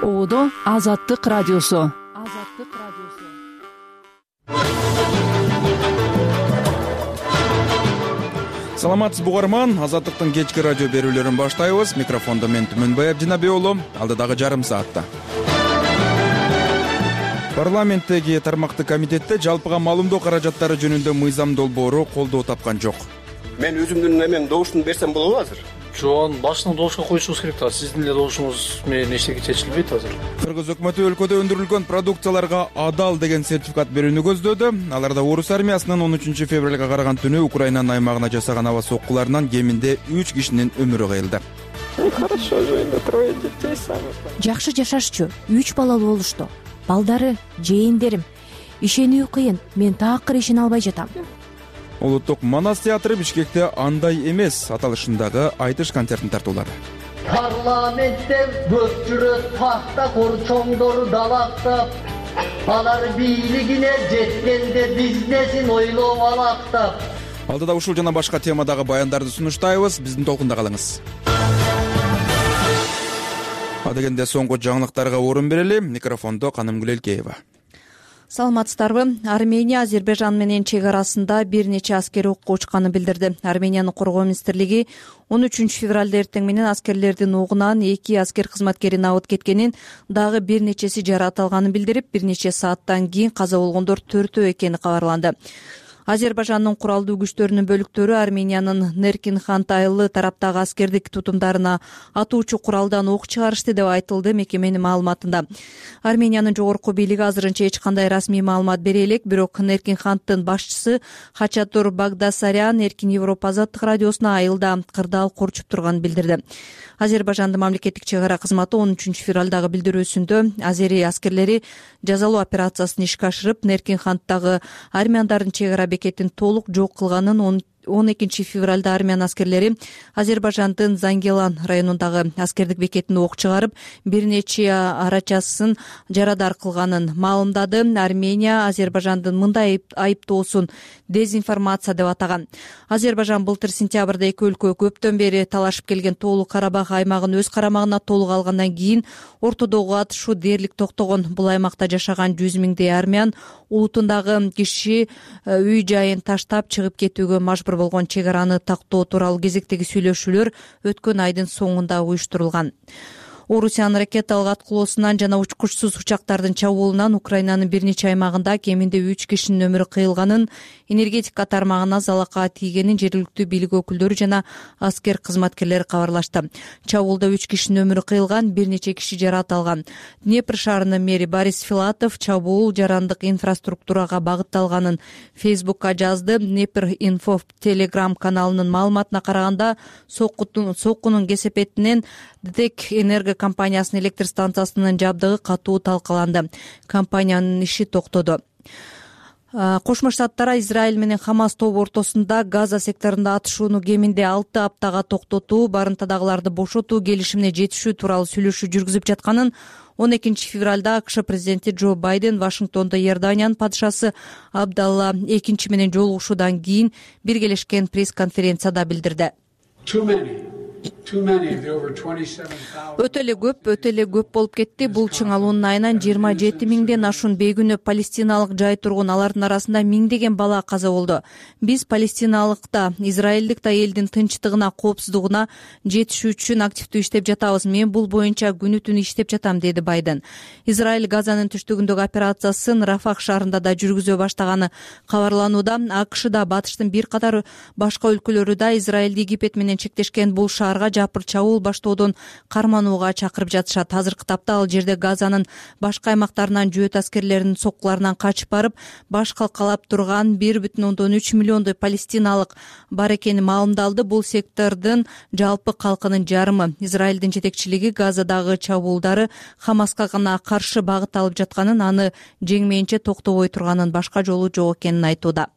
Оодо Азаттык радиосу. Саламатсызбы угарман, Азаттыктын кечки радио берүүлөрүн баштайбыз. Микрофондо мен Түмөнбай Абдинабек уулу. Алдыдагы жарым саатта парламенттеги тармактык комитетте жалпыга маалымдоо каражаттары жөнүндө мыйзам долбоору колдоо тапкан жок. Мен өзүмдүн эмен добушумду берсем болобу азыр? Жок, башынан добушка коюшубуз керек да. Сиздин эле добушуңуз менен эчтеке чечилбейт азыр. Кыргыз өкмөтү өлкөдө өндүрүлгөн продукцияларга адал деген сертификат берүүнү көздөөдү. Аларда орус армиясынын 13 февралга караган түнү Украинанын аймагына жасаган аба соккуларынан кеминде 3 кишинин өмүрү кыйылды. Хорошо жойду, 3 детей сами. Жакшы жашашчу, 3 балалуу болушту. Балдары, жээндерим. Ишенүү кыйын, мен таакыр ишене албай жатам. Улуттук Манас театры Бишкекте андай эмес аталышындагы айтыш концертин тартуулады. Parlamentте көпчүрө тахта корчоңдору далактап, алар бийлигине жеткенде бизнесин ойлоп алактап. Алдыда ушул жана башка темадагы баяндарды сунуштайбыз. Биздин толкунда калыңыз. Адегенде соңку жаңылыктарга орун берели. Микрофондо Канымгүл Элкеева. Саламатсыздарбы? Армения Азербайжан менен чек арасында бир нече аскер окко учканын билдирди. Армениянын коргоо министрлиги 13 февралда эртең менен аскерлердин огунан 2 аскер кызматкерин абыт кеткенин, дагы бир нечеси жаракат алганын билдирип, бир нече сааттан кийин каза болгондор 4 экени кабарланды. Азербайжандын куралдуу күчтөрүнүн бөлүктөрү Армениянын Неркин-Хан айылы тараптагы аскердик тутумдарына атуучу куралдан ок чыгарышты деп айтылды мекеменин маалыматында. Армениянын жогорку бийлиги азырынча эч кандай расмий маалымат бере элек, бирок Неркин-Хандын башчысы Хачатур Багдасарян Эркин Европа азаттык радиосуна айылда кырдаал корчуп турганын билдирди. Азербайжандын мамлекеттик чек ара кызматы 13 февралдагы билдирүүсүндө азери аскерлери жазалоо операциясын ишке ашырып, Неркин-Ханддагы армяндардын чек ара бекетин толук жок кылганын, 12 февралда армян аскерлери Азербайжандын Зангелан районундагы аскердик бекетине ок чыгарып, бир нече арачасын жарадар кылганын маалымдады. Армения Азербайжандын мындай айыптоосун дезинформация деп атаган. Азербайжан былтыр сентябрда эки өлкө көптөн бери талашып келген Тоолуу Карабах аймагын өз карамагына толук алгандан кийин ортодогу атышуу дээрлик токтогон. Бул аймакта жашаган 100 миңдей армян улутундагы киши үй жайын таштап чыгып кетүүгө мажбур болгон. Чек араны тактоо тууралуу кезектеги сүйлөшүүлөр өткөн айдын соңунда уюштурулган. Орусиянын ракеталык аткылоосунан жана учкучсуз учактардын чабуулунан Украинанын бир нече аймагында кеминде 3 кишинин өмүрү кыйылганын, энергетика тармагына залалга тийгенин жергиликтүү бийлик өкүлдөрү жана аскер кызматкерлери кабарлашты. Чабуулда 3 кишинин өмүрү кыйылган, бир нече киши жаракат алган. Днепр шаарынын мэри Борис Филатов чабуул жарандык инфраструктурага багытталганын Фейсбукка жазды. Днепр инфо Telegram каналынын маалыматына караганда, соккунун кесепетинен ДТЭК энерго компаниясынын электр станциясынын жабдыгы катуу талкаланды. Компаниянын иши токтоду. Кошмо Штаттар Израиль менен Хамас тобу ортосунда Газа секторунда атышууну кеминде 6 аптага токтотуу, барымтадагыларды бошотуу келишимине жетишүү тууралуу сүйлөшүү жүргүзүп жатканын 12 февралда АКШ президенти Джо Байден Вашингтондо Иорданиянын падышасы Абдалла II менен жолугушуудан кийин биргелешкен пресс-конференцияда билдирди. Өтө эле көп болуп кетти. Бул чыңалуунун айынан 27 миңден ашуун бейгүнөө палестиналык жай тургун, алардын арасында миңдеген бала каза болду. Биз палестиналык да, израилдик да элдин тынчтыгына, коопсуздугуна жетишүү үчүн активдүү иштеп жатабыз. Мен бул боюнча күнү түнү иштеп жатам, деди Байден. Израиль Газанын түштүгүндөгү операциясын Рафах шаарында да жүргүзө баштаганы кабарланууда. АКШда, батыштын бир катар башка өлкөлөрү да Израилди Египет менен чектешкен бул шаарга жапыр чабуул баштоодон карманууга чакырып жатышат. Азыркы тапта ал жерде Газанын башка аймактарынан жөөт аскерлеринин соккуларынан качып барып, баш калкалап турган 1,3 миллиондой палестиналык бар экени маалымдалды. Бул сектордун жалпы калкынын жарымы. Израилдин жетекчилиги Газадагы чабуулдары Хамаска гана каршы багыт алып жатканын, аны жеңмейинче токтобой турганын, башка жолу жок экенин айтууда.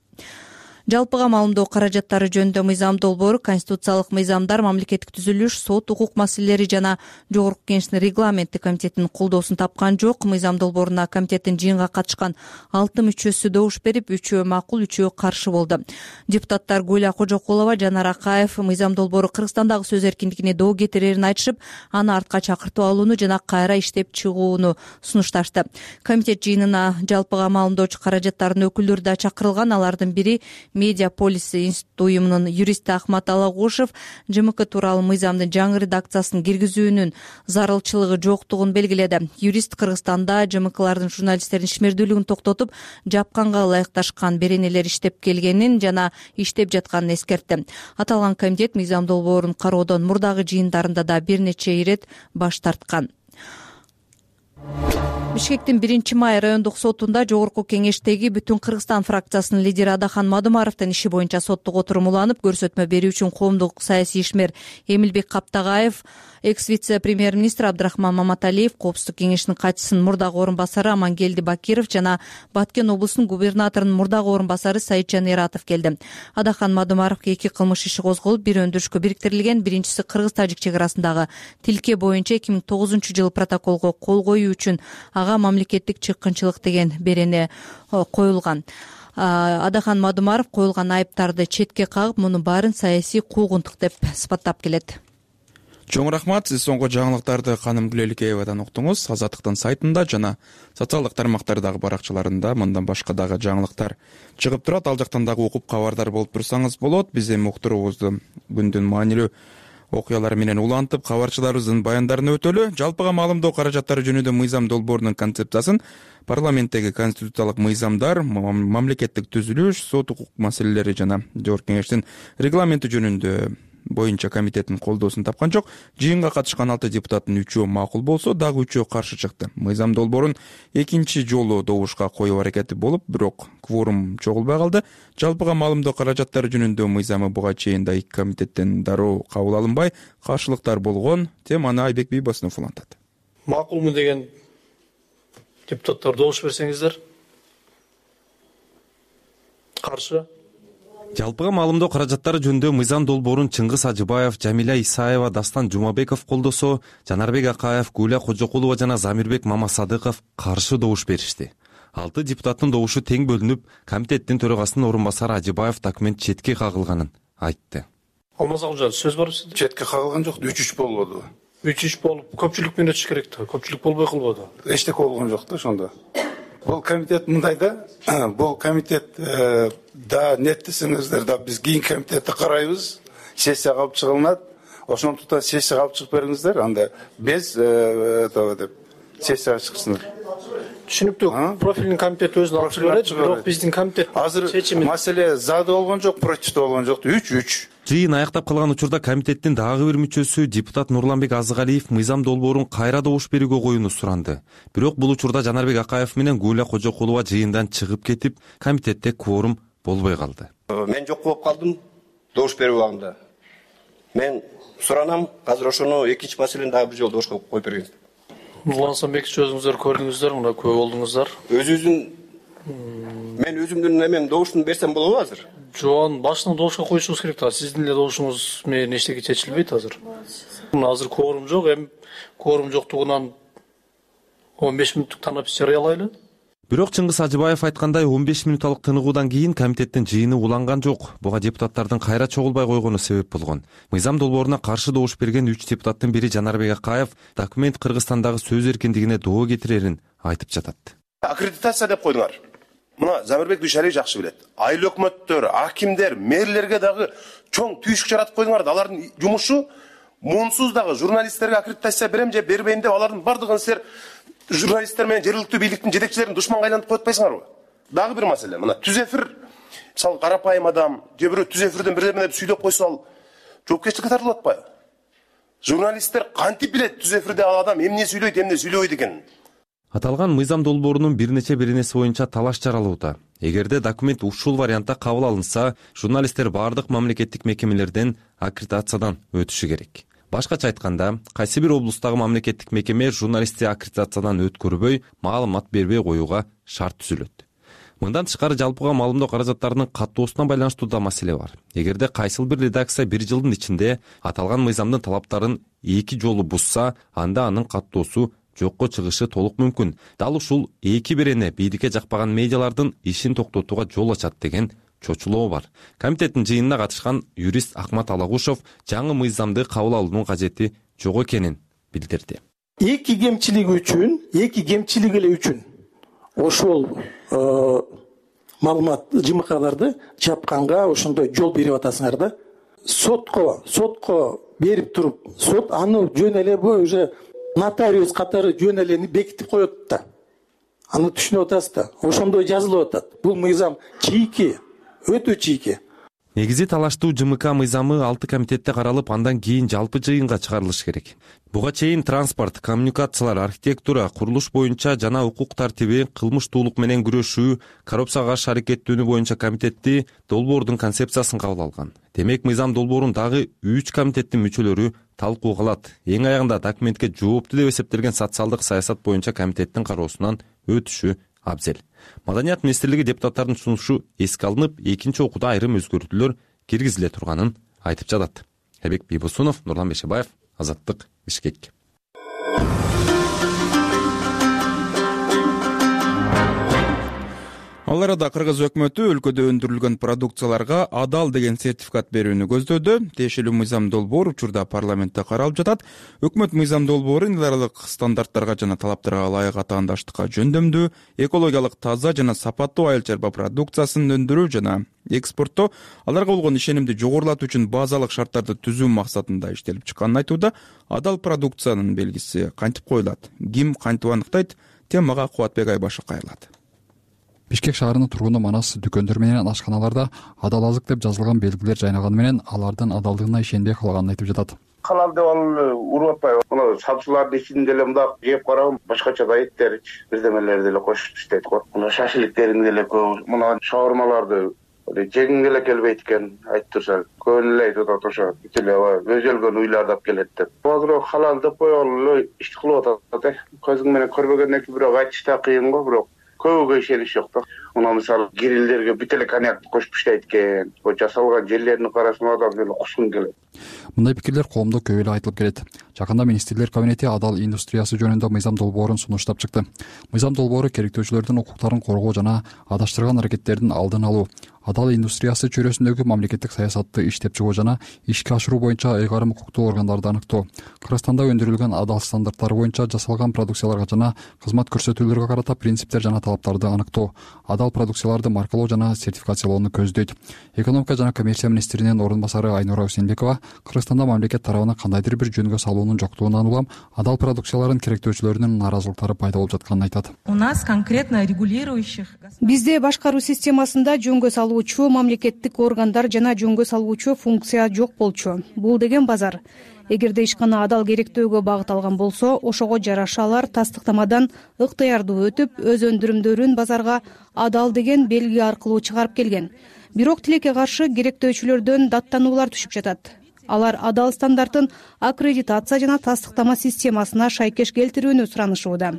Жалпыга маалымдоо каражаттары жөнүндө мыйзам долбоору Конституциялык мыйзамдар, мамлекеттик түзүлүш, сот укук маселелери жана Жогорку Кеңештин регламенттик комитетинин колдоосун тапкан жок. Мыйзам долбооруна комитеттин жыйынга катышкан 6 мүчөсү добуш берип, 3-өө макул, 3-өө каршы болду. Депутаттар Гуля Кожокулова, Жанар Акаев мыйзам долбоору Кыргызстандагы сөз эркиндигине доо кетирерин айтышып, аны артка чакыртып алууну жана кайра иштеп чыгууну сунушташты. Комитет жыйынына жалпыга маалымдоочу каражаттардын өкүлдөрү да чакырылган. Алардын бири Медиа Полис институт уюмунун юристи Ахмат Алагушев ЖМК тууралуу мыйзамдын жаңы редакциясын киргизүүнүн зарылчылыгы жоктугун белгиледи. Юрист Кыргызстанда ЖМКлардын журналисттердин ишмердүүлүгүн токтотуп, жапканга ылайыкташкан беренелер иштеп келгенин жана иштеп жатканын эскертти. Аталган комитет мыйзам долбоорун кароодон мурдагы жыйындарында да бир нече ирет баш тарткан. Бишкектин 1-май райондук сотунда Жогорку Кеңештеги Бүтүн Кыргызстан фракциясынын лидери Адахан Мадумаровдун иши боюнча соттук отурум уланып, көрсөтмө берүү үчүн коомдук саясий ишмер Эмилбек Каптагаев, экс-вице-премьер-министр Абдрахман Маматалиев, Коопсуздук кеңешинин катчысынын мурдагы орун басары Амангелди Бакиров жана Баткен облусунун губернаторунун мурдагы орун басары Саитжан Эратов келди. Адахан Мадумаровго 2 кылмыш иши козголуп, бир өндүрүшкө бириктирилген. Биринчиси Кыргыз-Тажик чек арасындагы тилке боюнча 2009-жылы протоколго кол коюу үчүн ага мамлекеттик чыккынчылык деген берене коюлган. Адахан Мадумаров коюлган айыптарды четке кагып, мунун баарын саясий куугунтук деп сыпаттап келет. Чоң рахмат. Сиз соңку жаңылыктарды Каным Гүлеликеевадан уктуңуз. Азаттыктын сайтында жана социалдык тармактардагы баракчаларында мындан башка дагы жаңылыктар чыгып турат. Ал жактан дагы окуп кабардар болуп турсаңыз болот. Биз эми уктуруубузду күндүн маанилүү окуялары менен улантып, кабарчыларыбыздын баяндарын өтөлү. Жалпыга маалымдоо каражаттары жөнүндө мыйзам долбоорунун концепциясын парламенттеги конституциялык мыйзамдар, мамлекеттик түзүлүш, сот укук маселелери жана Жогорку Кеңештин регламенти жөнүндө боюнча комитеттин колдоосун тапкан жок. Жыйынга катышкан 6 депутаттын 3-өө макул болсо, дагы 3-өө каршы чыкты. Мыйзам долбоорун экинчи жолу добушка коюу аракети болуп, бирок кворум чогулбай калды. Жалпыга маалымдоо каражаттары жөнүндө мыйзамы буга чейин да 2 комитеттен дароо кабыл алынбай, каршылыктар болгон. Теманы Айбек Бийбосунов улантат. Макулмун деген депутаттар добуш берсеңиздер. Каршы. Жалпыга маалымдоо каражаттары жөнүндө мыйзам долбоорун Чыңгыз Ажыбаев, Жамиля Исаева, Дастан Жумабеков колдосо, Жанарбек Акаев, Гуля Кожокулова жана Замирбек Мамасадыков каршы добуш беришти. 6 депутаттын добушу тең бөлүнүп, комитеттин төрагасынын орун басары Ажыбаев документ четке кагылганын айтты. Алмаз Акжал, сөз бар сизде? Четке кагылган жок, 3-3 болбоду. 3-3 болуп, көпчүлүк менен өтүш керек да. Көпчүлүк болбой калбады. Эчтеке болгон жок да ошондо. Бул комитет мындай да, бул комитет да неттесеңиздер да биз кийин комитетти карайбыз, сессияга алып чыгылат. Ошондуктан сессияга алып чыгып бериңиздер, анда без деп сессияга чыксындар. Түшүнүктүү. Профилдин комитет өзүн алып чыгып берет, бирок биздин комитет азыр маселе зада болгон жок, против болгон жок, 3-3. Жыйын аяктап калган учурда комитеттин дагы бир мүчөсү депутат Нурланбек Азыгалиев мыйзам долбоорун кайра добуш берүүгө коюуну суранды. Бирок бул учурда Жанарбек Акаев менен Гуля Кожокулова жыйындан чыгып кетип, комитетте кворум болбой калды. Мен жок болуп калдым добуш берүү убагында. Мен суранам, азыр ошону экинчи маселени дагы бир жолу добушка коюп бергенсиз. Нурлан Самбекович, өзүңүздөр көрдүңүздөр, мына күбө болдуңуздар. Мен өзүмдүн эмем добушун берсем болобу азыр? Жоон, башынан добушка коюшуңуз керек да. Сиздин эле добушуңуз менен эчтеке чечилбейт азыр. Азыр кворум жок, эми кворум жоктугунан 15 мүнөттүк танап жарыялайлы. Бирок Чыңгыз Ажыбаев айткандай 15 мүнөттүк тыныгуудан кийин комитеттин жыйыны уланган жок. Буга депутаттардын кайра чогулбай койгону себеп болгон. Мыйзам долбооруна каршы добуш берген 3 депутаттын бири Жанарбек Акаев документ Кыргызстандагы сөз эркиндигине доо кетирерин айтып жатат. Аккредитация деп койдуңар. Мына Замирбек Дүйшалиев жакшы билет. Айыл өкмөттөр, акимдер, мэрлерге дагы чоң түйшүк жаратып койдуңар. Алардын жумушу муунсуз дагы журналисттерге аккредитация берем же бербейм деп алардын бардыгын силер журналисттер менен жергиликтүү бийликтин жетекчилерин душманга айлантып коюп атпайсыңарбы? Дагы бир маселе. Мына түз эфир, мисалы карапайым адам, же бирөө түз эфирден бирдеме деп сүйдөп койсо ал жоопкерчиликке тартылып атпайбы? Журналисттер кантип билет түз эфирде ал адам эмне сүйлөйт, эмне сүйлөбөйт экенин? Аталган мыйзам долбоорунун бир нече беренеси боюнча талаш жаралууда. Эгерде документ ушул вариантта кабыл алынса, журналисттер бардык мамлекеттик мекемелерден аккредитациядан өтүшү керек. Башкача айтканда, кайсы бир облустагы мамлекеттик мекеме журналистти аккредитациядан өткөрбөй, маалымат бербей коюуга шарт түзүлөт. Мындан тышкары жалпыга маалымдоо каражаттарынын каттоосуна байланыштуу да маселе бар. Эгерде кайсыл бир редакция бир жылдын ичинде аталган мыйзамдын талаптарын 2 жолу бузса, анда анын каттоосу жокко чыгышы толук мүмкүн. Дал ушул 2 бирене бийликке жакпаган медиалардын ишин токтотууга жол ачат деген чочулоо бар. Комитеттин жыйынына катышкан юрист Акмат Алагушов жаңы мыйзамды кабыл алуунун кажети жок экенин билдирди. Эки кемчилиги эле үчүн ошол маалымат ЖМКларды чапканга ошондой жол берип атасыңар да. Сотко берип туруп, сот аны жөн эле уже нотариус катары жөн эле бекитип коет да. Аны түшүнүп атасыз да. Ошондой жазылып атат. Бул мыйзам чийки, өтө чийки. Негизи талаштуу ЖМК мыйзамы 6 комитетте каралып, андан кийин жалпы жыйынга чыгарылышы керек. Буга чейин транспорт, коммуникациялар, архитектура, курулуш боюнча жана укук тартиби, кылмыштуулук менен күрөшүү, коррупцияга каршы аракеттөөнүү боюнча комитети долбоордун концепциясын кабыл алган. Демек, мыйзам долбоорун дагы 3 комитеттин мүчөлөрү талкууга алат. Эң аягында документке жооптуу деп эсептелген социалдык саясат боюнча комитеттин кароосунан өтүшү абзел. Маданият министрлиги депутаттардын сунушу эске алынып, экинчи окууда айрым өзгөртүүлөр киргизиле турганын айтып жатат. Эбек Бийбосунов, Нурлан Бешебаев, Азаттык, Бишкек. Ал арада Кыргыз өкмөтү өлкөдө өндүрүлгөн продукцияларга адал деген сертификат берүүнү көздөдү. Тиешелүү мыйзам долбоор учурда парламентте каралып жатат. Өкмөт мыйзам долбоорун эл аралык стандарттарга жана талаптарга ылайык атаандаштыкка жөндөмдүү, экологиялык таза жана сапаттуу айыл чарба продукциясын өндүрүү жана экспорттоо, аларга болгон ишенимди жогорулатуу үчүн базалык шарттарды түзүү максатында иштелип чыкканын айтууда. Адал продукциянын белгиси кантип коюлат? Ким кантип аныктайт? Темага Кубатбек Айбашев кайрылат. Бишкек шаарынын тургуну манас дүкөндөр менен ашканаларда адал азык деп жазылган белгилер жайнаганы менен алардын адалдыгына ишенбей калганын айтып жатат. Халал деп ал уруп атпайбы? Мына сатчылардын ичинде эле мындак жеп карагам, башкача да эттерич, бирдемелерди деле кошуп иштейт го. Мына шашиликтерин деле көп, мына шаурмаларды жегиң эле келбейт экен, айтып турса, көбүн эле айтып атат ошо. Бүт эле өзөлгөн уйларды алып келет деп. Азыр халал деп коелу иш кылып атат. Көзүң менен көрбөгөндөн кийин бирок айтыш да кыйын го, бирок көбүгө ишениш жок да. Мына мисалы гирилдерге бүт эле коньяк кошуп иштейт экен. О жасалган жерлерин карасаң адам эле кускун келет. Мындай пикирлер коомдо көп эле айтылып келет. Жакында министрлер кабинети адал индустриясы жөнүндө мыйзам долбоорун сунуштап чыкты. Мыйзам долбоору керектөөчүлөрдүн укуктарын коргоо жана адаштырган аракеттердин алдын алуу, адал индустриясы чөйрөсүндөгү мамлекеттик саясатты иштеп чыгуу жана ишке ашыруу боюнча ыйгарым укуктуу органдарды аныктоо, Кыргызстанда өндүрүлгөн адал стандарттары боюнча жасалган продукцияларга жана кызмат көрсөтүүлөргө карата принциптер жана талаптарды аныктоо, адал продукцияларды маркалоо жана сертификациялоону көздөйт. Экономика жана коммерция министринин орун басары Айнура Усенбекова Кыргызстанда мамлекет тарабынан кандайдыр бир жөнгө салуунун жоктугунан улам адал продукциялардын керектөөчүлөрүнүн нааразылыктары пайда болуп жатканын айтат. У нас конкретно регулирующих. Бизде башкаруу системасында жөнгө салуучу мамлекеттик органдар жана жөнгө салуучу функция жок болчу. Бул деген базар. Эгерде ишкана адал керектөөгө багыт алган болсо, ошого жараша алар тастыктамадан ыктыярдуу өтүп, өз өндүрүмдөрүн базарга адал деген белги аркылуу чыгарып келген. Бирок тилекке каршы керектөөчүлөрдөн даттануулар түшүп жатат. Алар адал стандартын аккредитация жана тастыктама системасына шайкеш келтирүүнү суранышууда.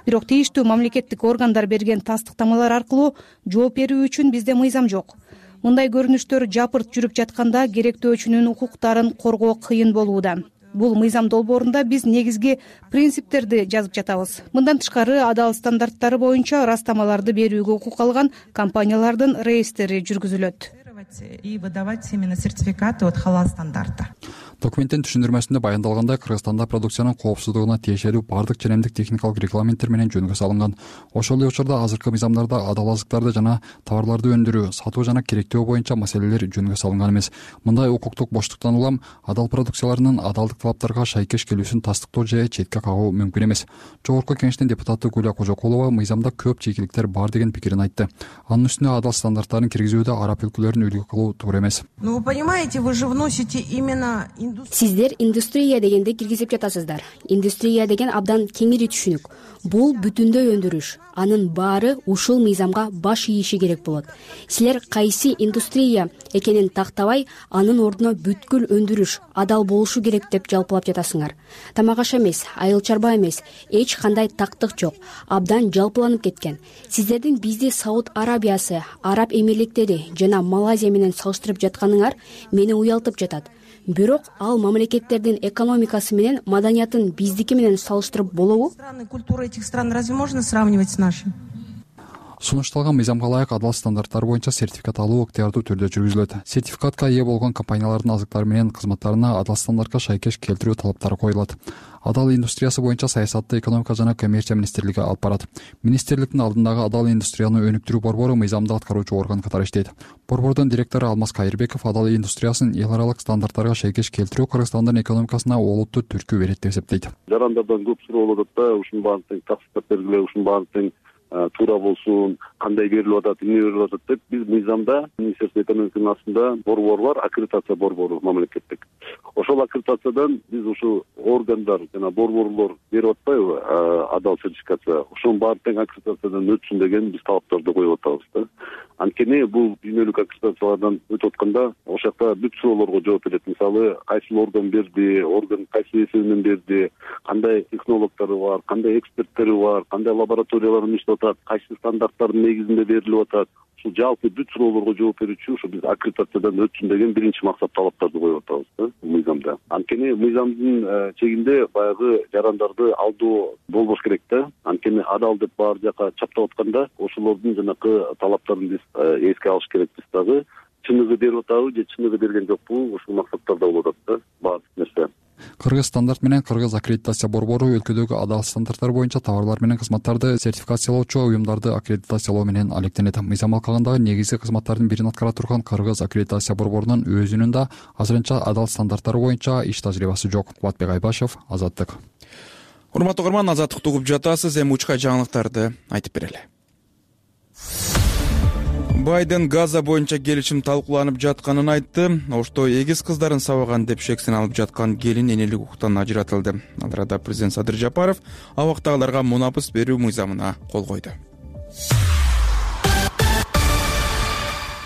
Бирок тийиштүү мамлекеттик органдар берген тастыктамалар аркылуу жооп берүү үчүн бизде мыйзам жок. Мындай көрүнүштөр жапырт жүрүп жатканда керектөөчүнүн укуктарын коргоо кыйын болууда. Бул мыйзам долбоорунда биз негизги принциптерди жазып жатабыз. Мындан тышкары адал стандарттары боюнча ырастамаларды берүүгө укук алган компаниялардын реестри жүргүзүлөт. И выдавать именно сертификаты от халал стандарта. Документтин түшүндүрмөсүндө баяндалгандай, Кыргызстанда продукциянын коопсуздугуна тиешелүү бардык ченемдик техникалык регламенттер менен жөнгө салынган. Ошол эле учурда азыркы мыйзамдарда адал азыктарды жана товарларды өндүрүү, сатуу жана керектөө боюнча маселелер жөнгө салынган эмес. Мындай укуктук боштуктан улам адал продукцияларынын адалдык талаптарга шайкеш келүүсүн тастыктоо же четке кагуу мүмкүн эмес. Жогорку кеңештин депутаты Гуля Кожокулова мыйзамда көп чийгиликтер бар деген пикирин айтты. Анын үстүнө адал стандарттарын киргизүүдө араб өлкөлөрүн үлгү кылуу туура эмес. Ну, вы понимаете, вы же вносите именно Сиздер индустрия дегенди киргизип жатасыздар. Индустрия деген абдан кеңири түшүнүк. Бул бүтүндөй өндүрүш. Анын баары ушул мыйзамга баш ийиши керек болот. Силер кайсы индустрия экенин тактабай, анын ордуна бүткүл өндүрүш адал болушу керек деп жалпылап жатасыңар. Тамак аш эмес, айыл чарба эмес, эч кандай тактык жок. Абдан жалпыланып кеткен. Сиздердин бизди Сауд Арабиясы, Араб Эмирликтери жана Малайзия менен салыштырып жатканыңар мени уялтып жатат. Бирок ал мамлекеттердин экономикасы менен маданиятын биздики менен салыштырып болобу? Культура этих стран разве можно сравнивать с нашим? Сунушталган мыйзамга ылайык адал стандарттар боюнча сертификат алуу ыктыярдуу түрдө жүргүзүлөт. Сертификатка ээ болгон компаниялардын азыктары менен кызматтарына адал стандартка шайкеш келтирүү талаптары коюлат. Адал индустриясы боюнча саясатты экономика жана коммерция министрлиги алып барат. Министрликтин алдындагы адал индустрияны өнүктүрүү борбору мыйзамды аткаруучу орган катары иштейт. Борбордун директору Алмаз Кайырбеков адал индустриясын эл аралык стандарттарга шайкеш келтирүү Кыргызстандын экономикасына олуттуу түрткү берет деп эсептейт. Жарандардан көп суроо болот да, ушунун баарын тең таксаттап бергиле, ушунун баарын тең туура болсун, кандай берилип атат, эмне берилип атат деп биз мыйзамда Министерство экономиканын астында борбор бар, аккредитация борбору мамлекеттик. Ошол аккредитациядан биз ушу органдар жана борборлор берип атпайбы адал сертификация, ошонун баары тең аккредитациядан өтсүн деген биз талаптарды коюп атабыз да. Анткени бул дүйнөлүк аккредитациялардан өтүп атканда ошол жакта бүт суроолорго жооп берет. Мисалы, кайсы орган берди, орган кайсы эсебинен берди, кандай технологдору бар, кандай эксперттери бар, кандай лабораториялар иштеп атат, кайсы стандарттардын негизинде берилип атат. Ушул жалпы бүт суроолорго жооп берүүчү ушу биз аккредитациядан өтсүн деген биринчи максат талаптарды коюп атабыз да мыйзамда. Анткени мыйзамдын чегинде баягы жарандарды алдоо болбош керек да. Анткени адал деп баары жака чаптап атканда ошолордун жанакы талаптарын биз эске алыш керекпиз дагы. Чыныгы берип атабы же чыныгы берген жокпу, ушул максаттарда болуп атат да баардык нерсе. Кыргыз стандарт менен Кыргыз аккредитация борбору өлкөдөгү адал стандарттар боюнча товарлар менен кызматтарды сертификациялоочу уюмдарды аккредитациялоо менен алектенет. Мыйзам алкагындагы негизги кызматтардын бирин аткара турган Кыргыз аккредитация борборунун өзүнүн да азырынча адал стандарттары боюнча иш тажрыйбасы жок. Кубатбек Айбашев, Азаттык. Урматтуу угарман, Азаттыкты угуп жатасыз. Эми учка жаңылыктарды айтып берели. Байден Газа боюнча келишим талкууланып жатканын айтты. Ошто эгиз кыздарын сабаган деп шексин алып жаткан келин энелик укуктан ажыратылды. Ал арада президент Садыр Жапаров абактагыларга мунапыс берүү мыйзамына кол койду.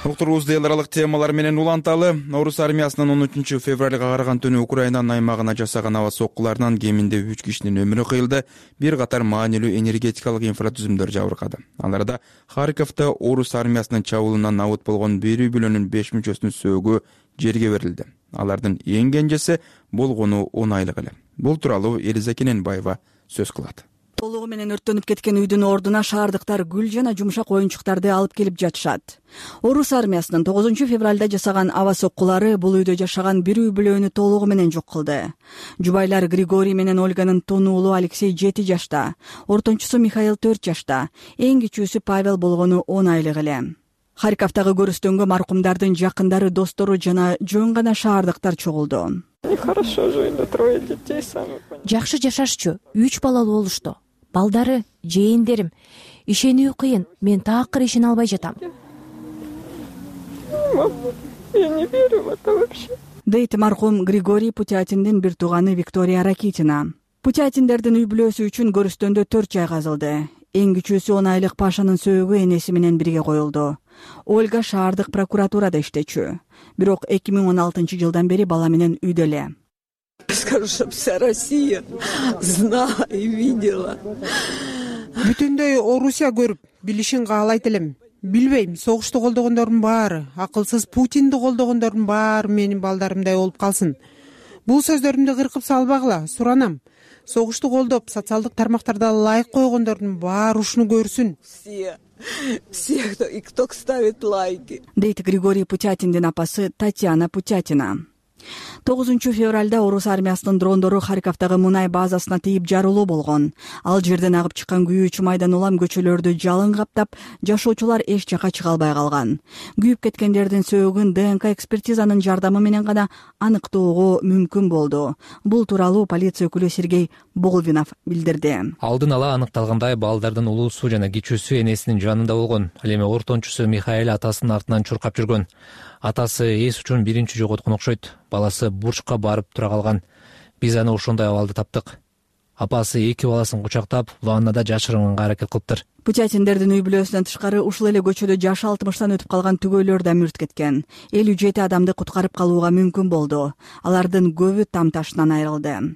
Уктурубузду эл аралык темалар менен уланталы. Орус армиясынын 13 февралга караган түнү Украинанын аймагына жасаган аба соккуларынан кеминде 3 кишинин өмүрү кыйылды. Бир катар маанилүү энергетикалык инфратүзүмдөр жабыркады. Ал арада Харьковдо орус армиясынын чабуулунан абыт болгон бир үй бүлөнүн 5 мүчөсүнүн сөөгү жерге берилди. Алардын эң кенжеси болгону 10 айлык эле. Бул тууралуу Элиза Кененбаева сөз кылат. Толугу менен өрттөнүп кеткен үйдүн ордуна шаардыктар гүл жана жумшак оюнчуктарды алып келип жатышат. Орус армиясынын 9 февралда жасаган аба соккулары бул үйдө жашаган бир үй бүлөнү толугу менен жок кылды. Жубайлар Григорий менен Ольганын тун уулу Алексей 7 жашта, ортончусу Михаил 4 жашта, эң кичүүсү Павел болгону 10 айлык эле. Харьковдагы көрүстөнгө маркумдардын жакындары, достору жана жөн гана шаардыктар чогулду. Нехорошо жить, да трое детей сами. Жакшы жашашчу, 3 балалуу болушту. Балдары, жээндерим. Ишенүү кыйын, мен таакыр ишене албай жатам. Я не верю в это вообще. Дейт маркум Григорий Путятиндин бир тууганы Виктория Ракитина. Путятиндердин үй бүлөсү үчүн көрүстөндө 4 жай казылды. Эң кичүүсү 10 айлык Пашанын сөөгү энеси менен бирге коюлду. Ольга шаардык прокуратурада иштечү. Бирок 2016 жылдан бери бала менен үйдө эле. Скажу, чтобы вся Россия знала и видела. Бүтүндөй Орусия көрүп, билишин каалайт элем. Билбейм, согушту колдогондордун баары, акылсыз Путинди колдогондордун баары менин балдарымдай болуп калсын. Бул сөздөрүмдү кыркып салбагыла, суранам. Согушту колдоп, социалдык тармактарда лайк койгондордун баары ушуну көрсүн. Все, кто ставит лайки. Дейт Григорий Путятиндин апасы Татьяна Путятина. 9 февралда орус армиясынын дрондору Харьковдагы мунай базасына тийип жарылуу болгон. Ал жерден агып чыккан күйүүчү майдан улам көчөлөрдү жалын каптап, жашоочулар эч жака чыга албай калган. Күйүп кеткендердин сөөгүн ДНК экспертизанын жардамы менен гана аныктоого мүмкүн болду. Бул тууралуу полиция өкүлү Сергей Болвинов билдирди. Алдын ала аныкталгандай, балдардын улуусу жана кичүүсү энесинин жанында болгон. Ал эми ортончусу Михаил атасынын артынан чуркап жүргөн. Атасы эс учун биринчи жоготкон окшойт. Баласы бурчка барып тура калган. Биз аны ошондой абалда таптык. Апасы 2 баласын кучактап, ваннада жашырганга аракет кылыптыр. Путятиндердин үй бүлөсүнөн тышкары ушул эле көчөдө жашы 60-тан өтүп калган түгөйлөр да мүрт кеткен. 57 адамды куткарып калууга мүмкүн болду. Алардын көбү там ташынан айрылды.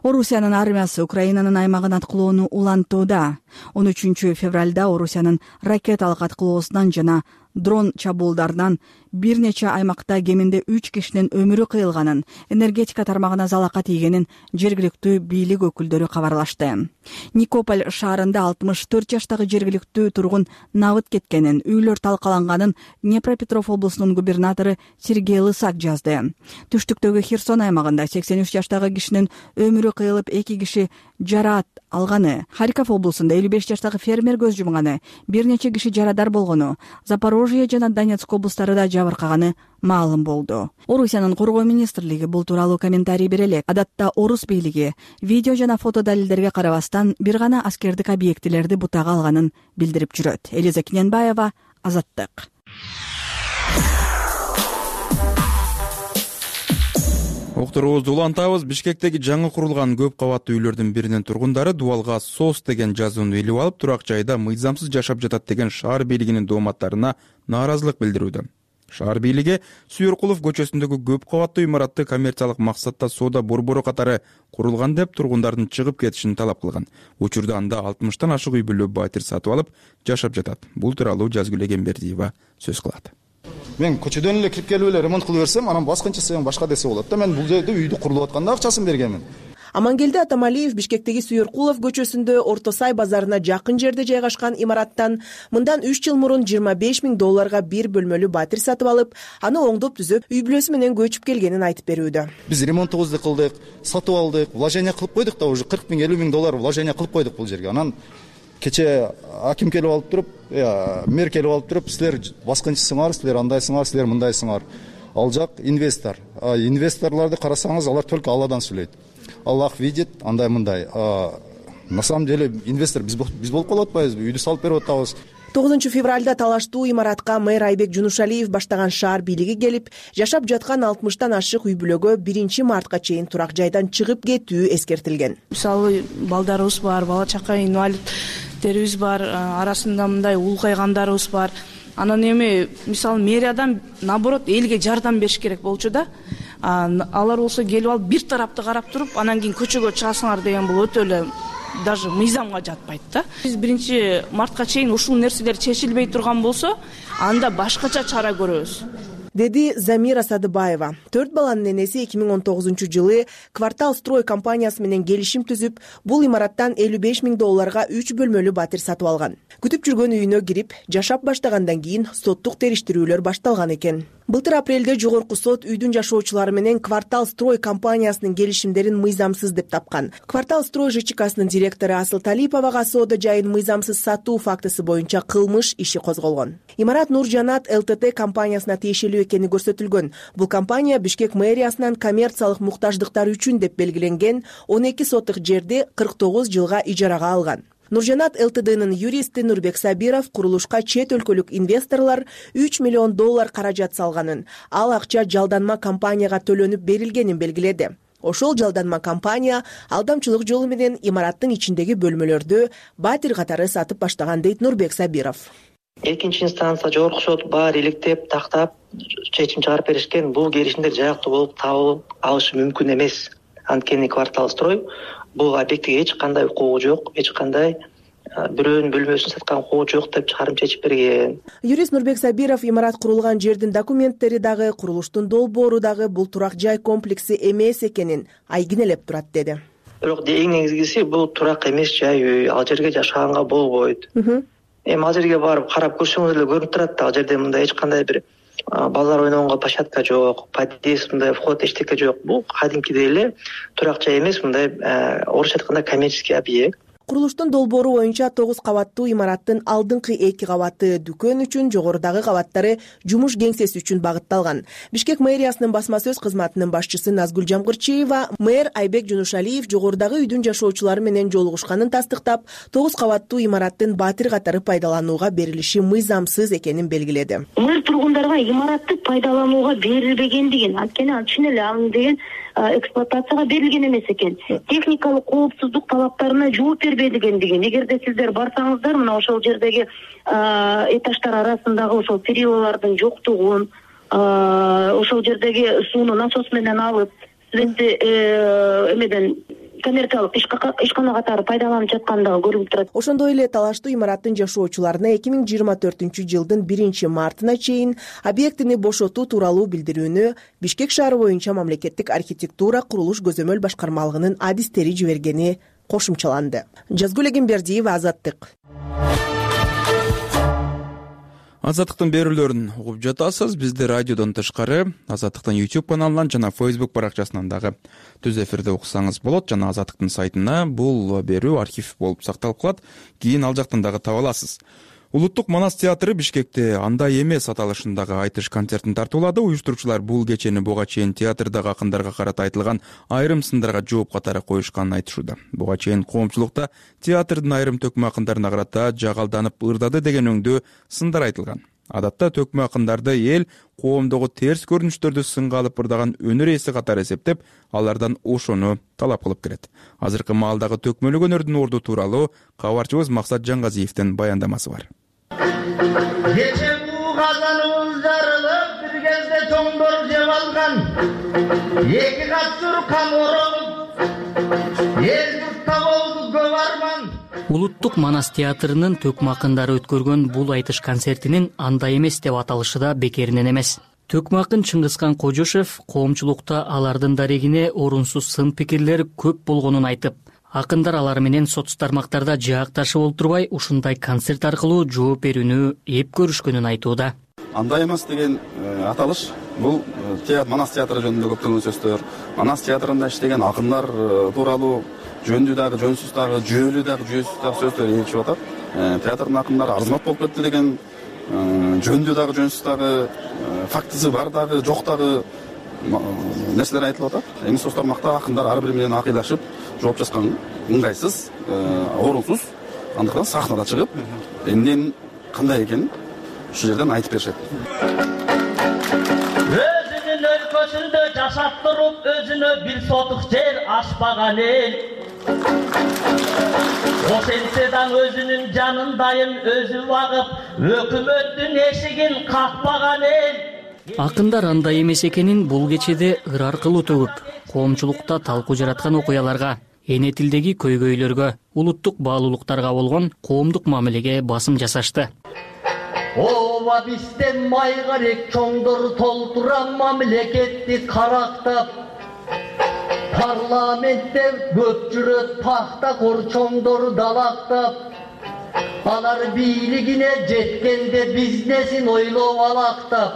Орусиянын армиясы Украинанын аймагын аткылоону улантууда. 13 февралда Орусиянын ракеталык аткылоосунан жана дрон чабуулдарынан бир нече аймакта кеминде 3 кишинин өмүрү кыйылганын, энергетика тармагына залака тийгенин жергиликтүү бийлик өкүлдөрү кабарлашты. Никополь шаарында 64 жаштагы жергиликтүү тургун набыт кеткенин, үйлөр талкаланганын Днепропетров облусунун губернатору Сергей Лысак жазды. Түштүктөгү Херсон аймагында 83 жаштагы кишинин өмүрү кыйылып, 2 киши жараат алганы, Харьков облусунда 55 жаштагы фермер көз жумганы, бир нече киши жарадар болгону, Запорожье жана Донецк облустарында жабыркаганы маалым болду. Орусиянын коргоо министрлиги бул тууралуу комментарий бере элек. Адатта орус бийлиги видео жана фото далилдерге карабастан бир гана аскердик объектилерди бутага алганын билдирип жүрөт. Элиза Киненбаева, Азаттык. Окторубузду улантабыз. Бишкектеги жаңы курулган көп кабаттуу үйлөрдүн биринин тургундары дубалга СОС деген жазууну илип алып, турак жайда мыйзамсыз жашап жатат деген шаар бийлигинин дооматтарына нааразылык билдирүүдө. Шаар бийлиги Сүйөркулов көчөсүндөгү көп кабаттуу имаратты коммерциялык максатта соода борбору катары курулган деп тургундардын чыгып кетишин талап кылган. Учурда анда 60тан ашык үй бүлө батир сатып алып жашап жатат. Бул тууралуу Жазгүл Эгембердиева сөз кылат. Мен көчөдөн эле кирип келип эле ремонт кылып берсем, анан баскынчысы башка десе болот да. Мен бул жерде үйдү курулуп атканда акчасын бергенмин. Амангелди Атамалиев Бишкектеги Сүйөркулов көчөсүндө Орто Сай базарына жакын жерде жайгашкан имараттан мындан 3 жыл мурун $25,000 бир бөлмөлүү батир сатып алып, аны оңдоп түзөп, үй бүлөсү менен көчүп келгенин айтып берүүдө. Биз ремонтубузду кылдык, сатып алдык, вложение кылып койдук да, уже $40,000-50,000 вложение кылып койдук бул жерге. Анан кече аким келип алып туруп, мэр келип алып туруп, силер баскынчысыңар, силер андайсыңар, силер мындайсыңар. Ал жак инвестор. Инвесторлорду карасаңыз, алар только Алладан сүйлөйт. Аллах видит, андай мындай. На самом деле инвестор биз болуп калып атпайбызбы? Үйдү салып берип атабыз. 9 февралда талаштуу имаратка мэр Айбек Жунушалиев баштаган шаар бийлиги келип, жашап жаткан 60тан ашык үй бүлөгө 1 мартка чейин турак жайдан чыгып кетүү эскертилген. Мисалы, балдарыбыз бар, бала чака инвалидтерибиз бар, арасында мындай улгайгандарыбыз бар. Анан эми мисалы мэриядан наоборот элге жардам бериш керек болчу да. Алар болсо келип алып бир тарапты карап туруп, анан кийин көчөгө чыгасыңар деген бул өтө эле даже мыйзамга жатпайт да. Биз 1 мартка чейин ушул нерселер чечилбей турган болсо, анда башкача чара көрөбүз, деди Замира Садыбаева. 4 баланын энеси 2019-жылы Квартал Строй компаниясы менен келишим түзүп, бул имараттан $55,000 3 бөлмөлүү батир сатып алган. Күтүп жүргөн үйүнө кирип, жашап баштагандан кийин соттук териштирүүлөр башталган экен. Былтыр апрелде жогорку сот үйдүн жашоочулары менен Квартал Строй компаниясынын келишимдерин мыйзамсыз деп тапкан. Квартал Строй ЖЧКсынын директору Асыл Талиповага соода жайын мыйзамсыз сатуу фактысы боюнча кылмыш иши козголгон. Имарат Нуржанат ЛТТ компаниясына тиешелүү экени көрсөтүлгөн. Бул компания Бишкек мэриясынан коммерциялык муктаждыктар үчүн деп белгиленген 12 соттук жерди 49 жылга ижарага алган. Нуржанат ЛТДнын юристи Нурбек Сабиров курулушка чет өлкөлүк инвесторлор $3 миллион каражат салганын, ал акча жалданма компанияга төлөнүп берилгенин белгиледи. Ошол жалданма компания алдамчылык жолу менен имараттын ичиндеги бөлмөлөрдү батир катары сатып баштаган дейт Нурбек Сабиров. Экинчи инстанция жогорку сот баары иликтеп, тактап чечим чыгарып беришкен. Бул келишимдер жаактуу болуп табылып алышы мүмкүн эмес. Анткени Квартал Строй бул объектке эч кандай укугу жок, эч кандай бирөөнүн бөлмөсүн саткан укугу жок деп чыгарым чечип берген. Юрист Нурбек Сабиров имарат курулган жердин документтери дагы, курулуштун долбоору дагы бул турак жай комплекси эмес экенин айгинелеп турат деди. Бирок эң негизгиси бул турак эмес жай үй, ал жерге жашаганга болбойт. Эми ал жерге барып карап көрсөңүз эле көрүнүп турат да, ал жерде мындай эч кандай бир балдар ойногонго площадка жок, подъезд, мындай вход эчтеке жок. Бул кадимкидей эле турак жай эмес, мындай орусча айтканда коммерческий объект. Курулуштун долбоору боюнча 9 кабаттуу имараттын алдыңкы 2 кабаты дүкөн үчүн, жогорудагы кабаттары жумуш кеңсеси үчүн багытталган. Бишкек мэриясынын басма сөз кызматынын башчысы Назгүл Жамгырчиева мэр Айбек Жунушалиев жогорудагы үйдүн жашоочулары менен жолугушканын тастыктап, 9 кабаттуу имараттын батир катары пайдаланууга берилиши мыйзамсыз экенин белгиледи. Мэр тургундарга имаратты пайдаланууга берилбегендигин, анткени чын эле ал деген эксплуатацияга берилген эмес экен. Техникалык коопсуздук талаптарына жооп бербегендигин. Эгерде сиздер барсаңыздар, мына ошол жердеги этаждар арасындагы ошол перилалардын жоктугун, ошол жердеги сууну насос менен алып, светти эмеден коммерциялык ишкана катары пайдаланып жаткандыгы көрүнүп турат. Ошондой эле талаштуу имараттын жашоочуларына 2024-жылдын 1-мартына чейин объектини бошотуу тууралуу билдирүүнү Бишкек шаары боюнча мамлекеттик архитектура курулуш көзөмөл башкармалыгынын адистери жибергени кошумчаланды. Жазгүл Эгембердиева, Азаттык. Азаттыктын берүүлөрүн угуп жатасыз. Бизди радиодон тышкары Азаттыктын YouTube каналынан жана Facebook баракчасынан дагы түз эфирде уксаңыз болот. Жана Азаттыктын сайтына бул берүү архив болуп сакталып калат. Кийин ал жактан дагы таба аласыз. Улуттук Манас театры Бишкекте андай эмес аталышындагы айтыш концертин тартуулады. Уюштуруучулар бул кечени буга чейин театрдагы акындарга карата айтылган айрым сындарга жооп катары коюшканын айтышууда. Буга чейин коомчулукта театрдын айрым төкмө акындарына карата жагалданып ырдады деген өңдүү сындар айтылган. Адатта төкмө акындарды эл коомдогу терс көрүнүштөрдү сынга алып ырдаган өнөр ээси катары эсептеп, алардан ошону талап кылып келет. Азыркы маалдагы төкмөлүк өнөрдүн орду тууралуу кабарчыбыз Максат Жаңгазиевдин баяндамасы бар. Кече буу казаныбыз жарылып, бир кезде чоңдор жеп алган. Эки кат суркан оролуп, эл журтта болду көп арман. Улуттук Манас театрынын төкмө акындары өткөргөн бул айтыш концертинин андай эмес деп аталышы да бекеринен эмес. Төкмө акын Чыңгызкан Кожошев коомчулукта алардын дарегине орунсуз сын пикирлер көп болгонун айтып, акындар алар менен соц тармактарда жаакташып олтурбай ушундай концерт аркылуу жооп берүүнү эп көрүшкөнүн айтууда. Андай эмес деген аталыш бул Манас театры жөнүндө көптөгөн сөздөр, Манас театрында иштеген акындар тууралуу жөндүү дагы, жөнсүз дагы, жүйөлүү дагы, жүйөсүз дагы сөздөр ээлчип атат. Театрдын акындары арзымат болуп кетти деген, жөндүү дагы, жөнсүз дагы, фактысы бар дагы, жок дагы нерселер айтылып атат. Эми соц тармакта акындар ар бири менен акыйлашып, жооп жазган ыңгайсыз, орунсуз. Андыктан сахнада чыгып, эмненин кандай экенин ушул жерден айтып беришет. Өзүнүн өлкөсүндө жашап туруп, өзүнө бир сотук жер ачпаган эл. Ошентсе дагы өзүнүн жанындайын өзү багып, өкмөттүн эшигин какпаган эл. Акындар андай эмес экенин бул кечеде ыр аркылуу төгүп, коомчулукта талкуу жараткан окуяларга, эне тилдеги көйгөйлөргө, улуттук баалуулуктарга болгон коомдук мамилеге басым жасашты. Ооба бизден майгарек чоңдор толтуран мамлекетти карактап, парламентте көп жүрөт пахтакор чоңдор далактап, алар бийлигине жеткенде бизнесин ойлоп алактап.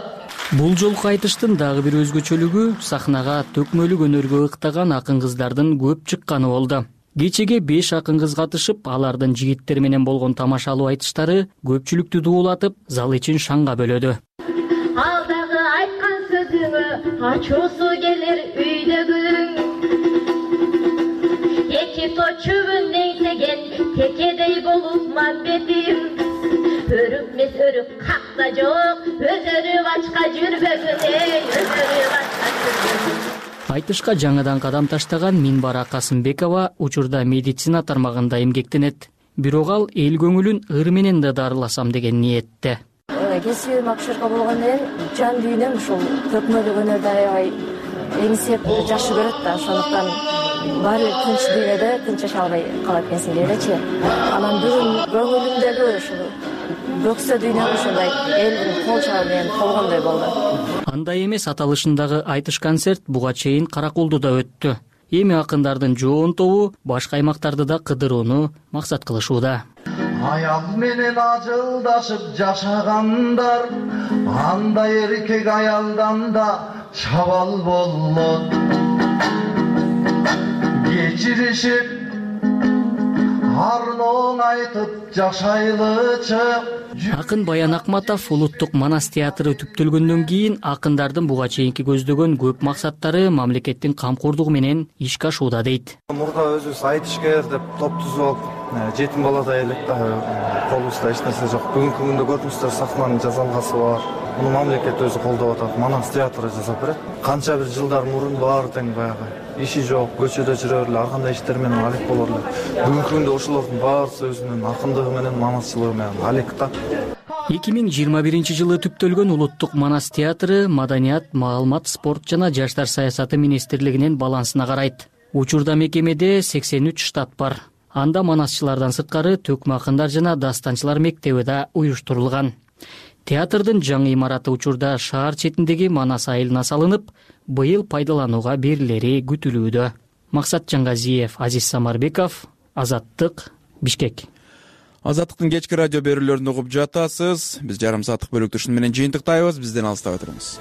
Бул жолку айтыштын дагы бир өзгөчөлүгү сахнага төкмөлүк өнөргө ыктаган акын кыздардын көп чыкканы болду. Кечеге 5 акын кыз катышып, алардын жигиттер менен болгон тамашалуу айтыштары көпчүлүктү дуулатып, зал ичин шаңга бөлөдү. Ал дагы айткан сөзүңө ачуусу келер үйдөгүң. Эки точубун деңсеген текедей болуп мамбетим. Өрүкмес өрүк какта жок, өзөрү бачка жүрбөгүн, өзөрү бачка жүрбөгүн. Айтышка жаңыдан кадам таштаган Минбара Касымбекова учурда медицина тармагында эмгектенет. Бирок ал эл көңүлүн ыр менен да дарыласам деген ниетте. Кесибим акушерка болгондон кийин жан дүйнөм ушул төкмөлүк өнөрдү аябай эңсеп жакшы көрөт да, ошондуктан баары бир тынч дүйнөдө тынч жашай албай калат экенсиң дейбичи. Анан бүгүн көңүлүмдөгү ушул бөксө дүйнөм ушундай элдин кол чабы менен толгондой болду. Андай эмес аталышындагы айтыш концерт буга чейин Каракулдуда өттү. Эми акындардын жоон тобу башка аймактарды да кыдырууну максат кылышууда. Аял менен ажылдашып жашагандар, андай эркек аялдан да чабал болот. Кечиришип арлооң айтып жашайлычы. Акын Баян Акматов улуттук Манас театры түптөлгөндөн кийин акындардын буга чейинки көздөгөн көп максаттары мамлекеттин камкордугу менен ишке ашууда дейт. Мурда өзүбүз айтышкер деп топ түзүп алып жетим баладай элек да колубузда эч нерсе жок. Бүгүнкү күндө көрдүңүздөр сахнанын жасалгасы бар. Муну мамлекет өзү колдоп атат. Манас театры жасап берет. Канча бир жылдар мурун баары тең баягы иши жок, көчөдө жүрөр эле, ар кандай иштер менен алек болор эле. Бүгүнкү күндө ошолордун баарысы өзүнүн акындыгы менен, манасчылыгы менен алек да. 2021-жылы түптөлгөн улуттук Манас театры маданият, маалымат, спорт жана жаштар саясаты министрлигинин балансына карайт. Учурда мекемеде 83 штат бар. Анда манасчылардан сырткары төкмө акындар жана дастанчылар мектеби да уюштурулган. Театрдын жаңы имараты учурда шаар четиндеги Манас айылына салынып, быйыл пайдаланууга берилери күтүлүүдө. Максат Жаңгазиев, Азиз Самарбеков, Азаттык, Бишкек. Азаттыктын кечки радио берүүлөрүн угуп жатасыз. Биз жарым сааттык бөлүктү ушуну менен жыйынтыктайбыз. Бизден алыстабай туруңуз.